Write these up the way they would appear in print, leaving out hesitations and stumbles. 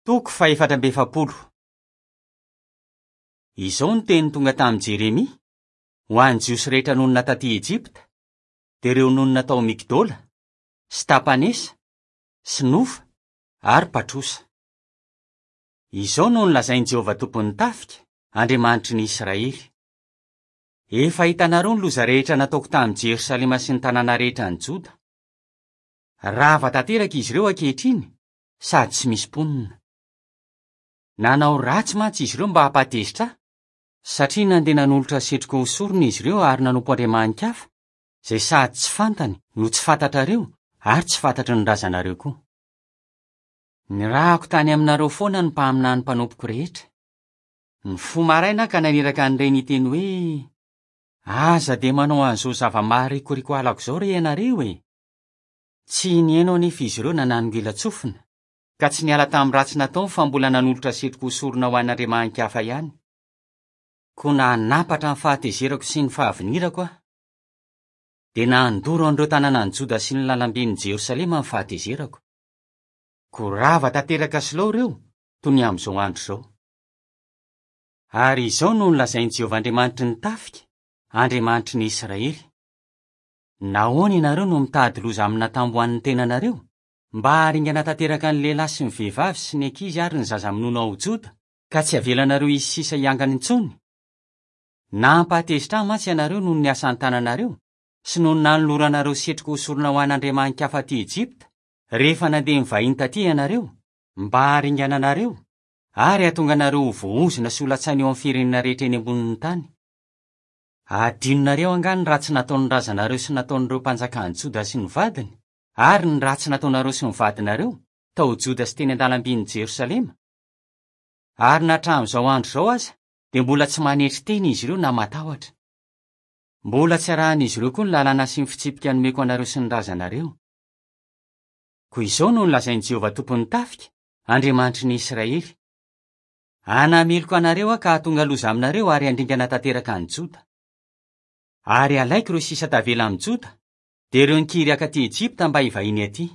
Toko fahefatra amby efapolo. Izao no teny tonga tamin'i Jeremia, ho an'ny Jiosy rehetra nonina tatỳ Ejipta, dia ireo nonina tao Migdola, sy Tapanesa, sy Nofa ary Patrosa. Izao no nolazain'i Jehovah Tompon'ny tafika, Andriamanitry ny Israely, Efa hitanareo ny loza rehetra nataoko tamin'i Jerosalema sy ny tanàna rehetra any Joda. Rava tanteraka izy ireo ankehitriny sady tsy misy mponina. Nanao ratsy mantsy izy ireo mba hampatezitra ahy, satria nandeha nanolotra setroka ho sorona izy ireo ary nanompo andriamani-kafa, izay sady tsy fantany no tsy fantatrareo ary tsy fantatry ny razanareo koa. Nirahako tany aminareo foana ny mpaminany mpanompoko rehetra. Nifoha maraina aho ka naniraka an'ireny hiteny hoe, Aza dia manao an'izao zava-maharikoriko halako izao re ianareo e! Tsy nihaino anefa izy ireo na nanongilan-tsofina, ka tsy niala tamin'ny ratsy nataony fa mbola nanolotra setroka ho sorona ho an'andriamani-kafa ihany. Koa nanampatra ny fahatezerako sy ny fahavinirako aho, dia nandoro an'ireo tanànan'i Joda sy ny lalamben'i Jerosalema ny fahatezerako. Koa rava tanteraka sy lao ireo, toy ny amin'izao andro izao. Ary izao no nolazain'i Jehovah Andriamanitry ny tafika, Andriamanitry ny Israely, Nahoana ianareo no mitady loza amina tambo ho an'ny tenanareo, mba haharingana tanteraka ny lehilahy sy ny vehivavy sy ny ankizy ary ny zaza minono ao Joda, ka tsy havelanareo hisy sisa hiangana intsony? Nampahatezitra ahy mantsy ianareo noho ny asan-tananareo, sy noho ny nanoloranareo setroka ho sorona ho an'andriamani-kafa aty Ejipta, rehefa nandeha nivahiny taty ianareo, mba haharingana anareo, ary hahatonga anareo ho voaozona sy ho latsaina eo amin'ny firenena rehetra eny ambonin'ny tany. Hadinonareo angaha ny ratsy nataon'ny razanareo sy nataon'ireo mpanjakan'i Joda sy ny vadiny, ary ny ratsy nataonareo sy ny vadinareo, tao Joda sy teny an-dalambin'i Jerosalema? Ary na hatramin'izao andro izao aza, dia mbola tsy manetry tena izy ireo na matahotra. Mbola tsy arahin'izy ireo koa ny lalàna sy ny fitsipika nomeko anareo sy ny razanareo. Koa izao no nolazain'i Jehovah Tompon'ny tafika, Andriamanitry ny Israely, Hanameloka anareo aho ka hahatonga loza aminareo ary handringana tanteraka an'i Joda. Ary halaiko ireo sisa tavela amin'i Joda, dia ireo nikiry haka aty Ejipta mba hivahiny aty.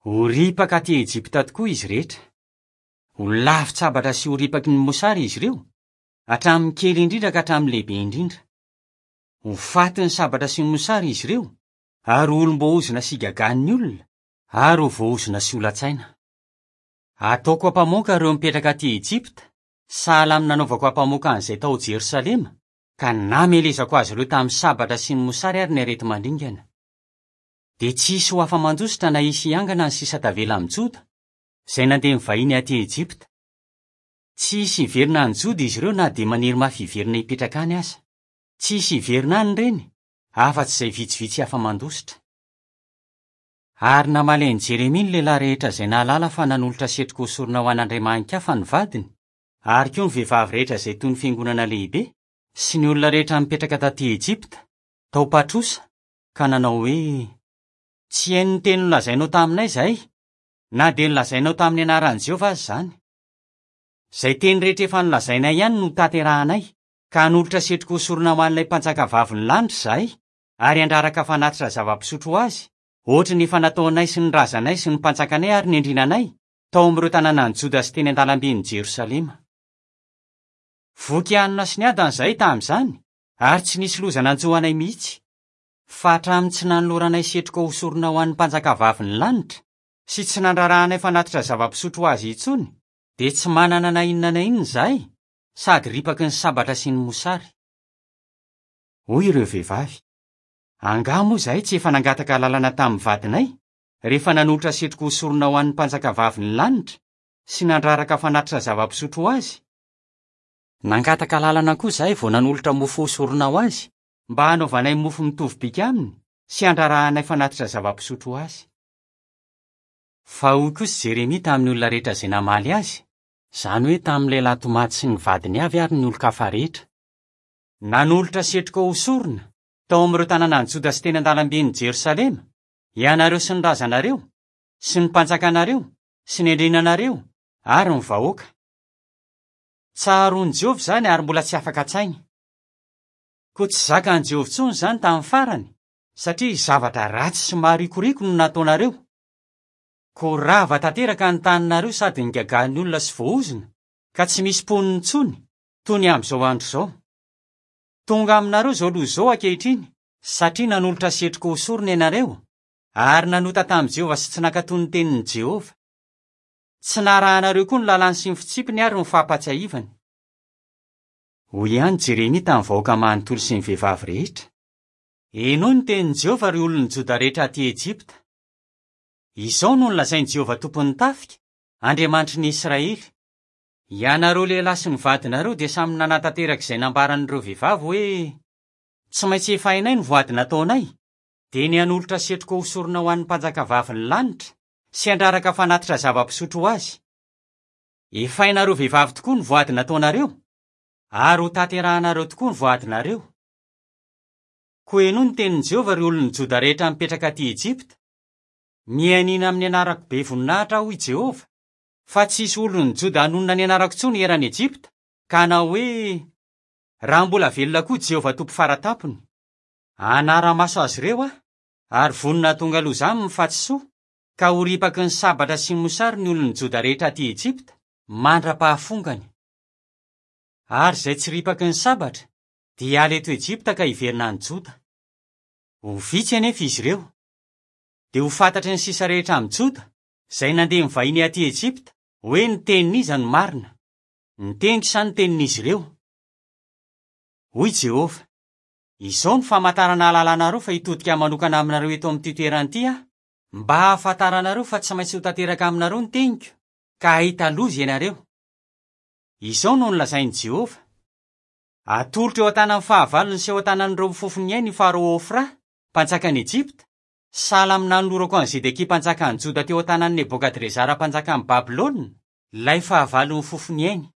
Ho ripaka aty Ejipta tokoa izy rehetra. Ho lavin-tsabatra sy ho ripaky ny mosary izy ireo, hatramin'ny kely indrindra ka hatramin'ny lehibe indrindra. Ho fatin'ny sabatra sy ny mosary izy ireo, ary ho olom-boaozona sy higagan'ny olona, ary ho voaozona sy ho latsaina. Ataoko ampamoaka ireo mipetraka aty Ejipta, sahala amin'ny nanaovako ampamoaka an'izay tao Jerosalema, ka namelezako azy ireo tamin'ny sabatra sy ny mosary ary ny areti-mandringana. Dia tsy hisy ho afa-mandositra na hisy hiangana ny sisa tavela amin'i Joda, izay nandeha nivahiny aty Ejipta. Tsy hisy hiverina any Joda izy ireo na dia maniry mafy hiverina hipetraka any aza. Tsy hisy hiverina any ireny, afa-tsy izay vitsivitsy afa-mandositra. Ary namaly an'i Jeremia ny lehilahy rehetra izay nahalala fa nanolotra setroka ho sorona ho an'andriamani-kafa ny vadiny, ary koa ny vehivavy rehetra izay toy ny fiangonana lehibe, sy ny olona rehetra nipetraka tatỳ Ejipta, tao Patrosa, ka nanao hoe, Tsy haino ny teny nolazainao taminay izahay, na dia nolazainao tamin'ny anaran'i Jehovah aza izany. Izay teny rehetra efa nolazainay ihany no hotanterahanay, ka hanolotra setroka ho sorona ho an'ilay mpanjakavavin'ny lanitra izahay, ary handraraka fanatitra zava-pisotro ho azy, hoatry ny efa nataonay sy ny razanay sy ny mpanjakanay ary ny andriananay, tao amin'ireo tanànan'i Joda sy teny an-dalamben'i Jerosalema. Voky hanina sy niadana izahay tamin'izany, ary tsy nisy loza nanjo anay mihitsy. Fa hatramin'ny tsy nanoloranay setroka ho sorona ho an'ny mpanjakavavin'ny lanitra, sy tsy nandrarahanay fanatitra zava-pisotro ho azy intsony, dia tsy manana na inona na inona izahay, sady ripaky ny sabatra sy ny mosary. Hoy ireo vehivavy, Angaha moa izahay tsy efa nangataka alalana tamin'ny vadinay, rehefa nanolotra setroka ho sorona ho an'ny mpanjakavavin'ny lanitra, sy nandraraka fanatitra zava-pisotro ho azy? Nangataka alalana koa izahay vao nanolotra mofo ho sorona ho azy, mba hanaovanay mofo mitovy bika aminy sy handrarahanay fanatitra zava-pisotro ho azy. Fa hoy kosa Jeremia tamin'ny olona rehetra izay namaly azy, izany hoe tamin'ny lehilahy tomady sy ny vadiny avy ary ny olon-kafa rehetra, Nanolotra setroka ho sorona, tao amin'ireo tanànan'i Joda sy teny an-dalamben'i Jerosalema, ianareo sy ny razanareo, sy ny mpanjakanareo, sy ny andriananareo, ary ny vahoaka. Tsaroan'i Jehovah izany ary mbola tsy afaka an-tsainy. Koa tsy zakan'i Jehovah intsony izany tamin'ny farany, satria zavatra ratsy sy maharikoriko no nataonareo. Koa rava tanteraka ny taninareo sady nigagahan'ny olona sy voaozona, ka tsy misy mponina intsony, toy ny amin'izao andro izao. Tonga aminareo izao loza izao ankehitriny, satria nanolotra setroka ho sorona ianareo, ary nanota tamin'i Jehovah sy tsy nankatò ny tenin'i Jehovah. Tsy narahanareo koa ny lalàny sy ny fitsipiny ary ny fampahatsiahivany. Hoy ihany Jeremia tamin'ny vahoaka manontolo sy ny vehivavy rehetra, Henoy ny tenin'i Jehovah, ry olon'i Joda rehetra atỳ Ejipta. Izao no nolazain'i Jehovah Tompon'ny tafika, Andriamanitry ny Israely, Ianareo lehilahy sy ny vadinareo dia samy nanatanteraka izay nambaran'ireo vehivavy hoe, 'Tsy maintsy efainay ny voady nataonay, dia ny hanolotra setroka ho sorona ho an'ny mpanjakavavin'ny lanitra sy handraraka fanatitra zava-pisotro ho azy. Efainareo vehivavy tokoa ny voady nataonareo, ary hotanterahanareo tokoa ny voadinareo. Koa henoy ny tenin'i Jehovah, ry olon'i Joda rehetra mipetraka atỳ Ejipta, Mianiana amin'ny anarako be voninahitra aho, hoy Jehovah, fa tsy hisy olon'i Joda hanonona ny anarako intsony eran'i Ejipta, ka hanao hoe, 'Raha mbola velona koa Jehovah Tompo Fara Tampony. Hanara-maso azy ireo aho, ary vonona hahatonga loza aminy fa tsy soa, ka ho ripaky ny sabatra sy ny mosary ny olon'i Joda rehetra atỳ Ejipta, mandra-pahafongany. Ary izay tsy ripaky ny sabatra dia hiala eto Ejipta ka hiverina any Joda. Ho vitsy anefa izy ireo. Dia ho fantatry ny sisa rehetra amin'i Joda, izay nandeha nivahiny atỳ Ejipta, hoe ny tenin'iza no marina, ny teniko sa ny tenin'izy ireo. Hoy Jehovah, Izao no famantarana hahalalanareo fa hitodika manokana aminareo eto amin'ity toerana ity aho, mba hahafantaranareo fa tsy maintsy ho tanteraka aminareo ny teniko, ka hahita loza ianareo. Izao no nolazain'i Jehovah, Atolotro eo an-tanan'ny fahavalony sy eo an-tanan'ireo mifofo ny ainy i Farao Hofra, mpanjakan'i Ejipta, sahala amin'ny nanolorako an'i Zedekia mpanjakan'i Joda teo an-tanan'i Nebokadrezara mpanjakan'i Babylona, ilay fahavalo mifofo ny ainy.